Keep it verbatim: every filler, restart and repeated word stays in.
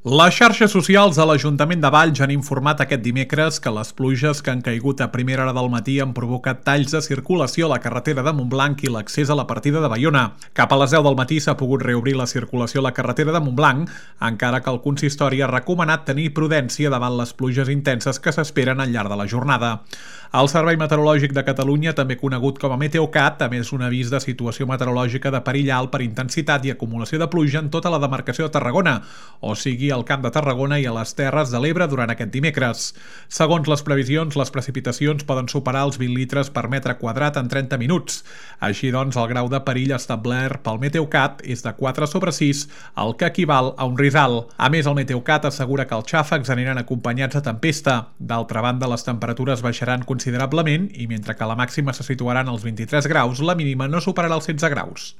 Les xarxes socials de l'Ajuntament de Valls han informat aquest dimecres que les pluges que han caigut a primera hora del matí han provocat talls de circulació a la carretera de Montblanc i l'accés a la partida de Baiona. Cap a les deu del matí s'ha pogut reobrir la circulació a la carretera de Montblanc, encara que el consistori ha recomanat tenir prudència davant les pluges intenses que s'esperen al llarg de la jornada. El Servei Meteorològic de Catalunya, també conegut com a Meteocat, ha emès un avís de situació meteorològica de perill alt per intensitat i acumulació de pluja en tota la demarcació de Tarragona, o sigui al Camp de Tarragona i a les Terres de l'Ebre durant aquest dimecres. Segons les previsions, les precipitacions poden superar els vint litres per metre quadrat en trenta minuts. Així doncs, el grau de perill establert pel Meteocat és de quatre sobre sis, el que equival a un risal. A més, el Meteocat assegura que els xàfecs aniran acompanyats de tempesta. D'altra banda, les temperatures baixaran considerablement i mentre que la màxima se situarà en els vint-i-tres graus, la mínima no superarà els setze graus.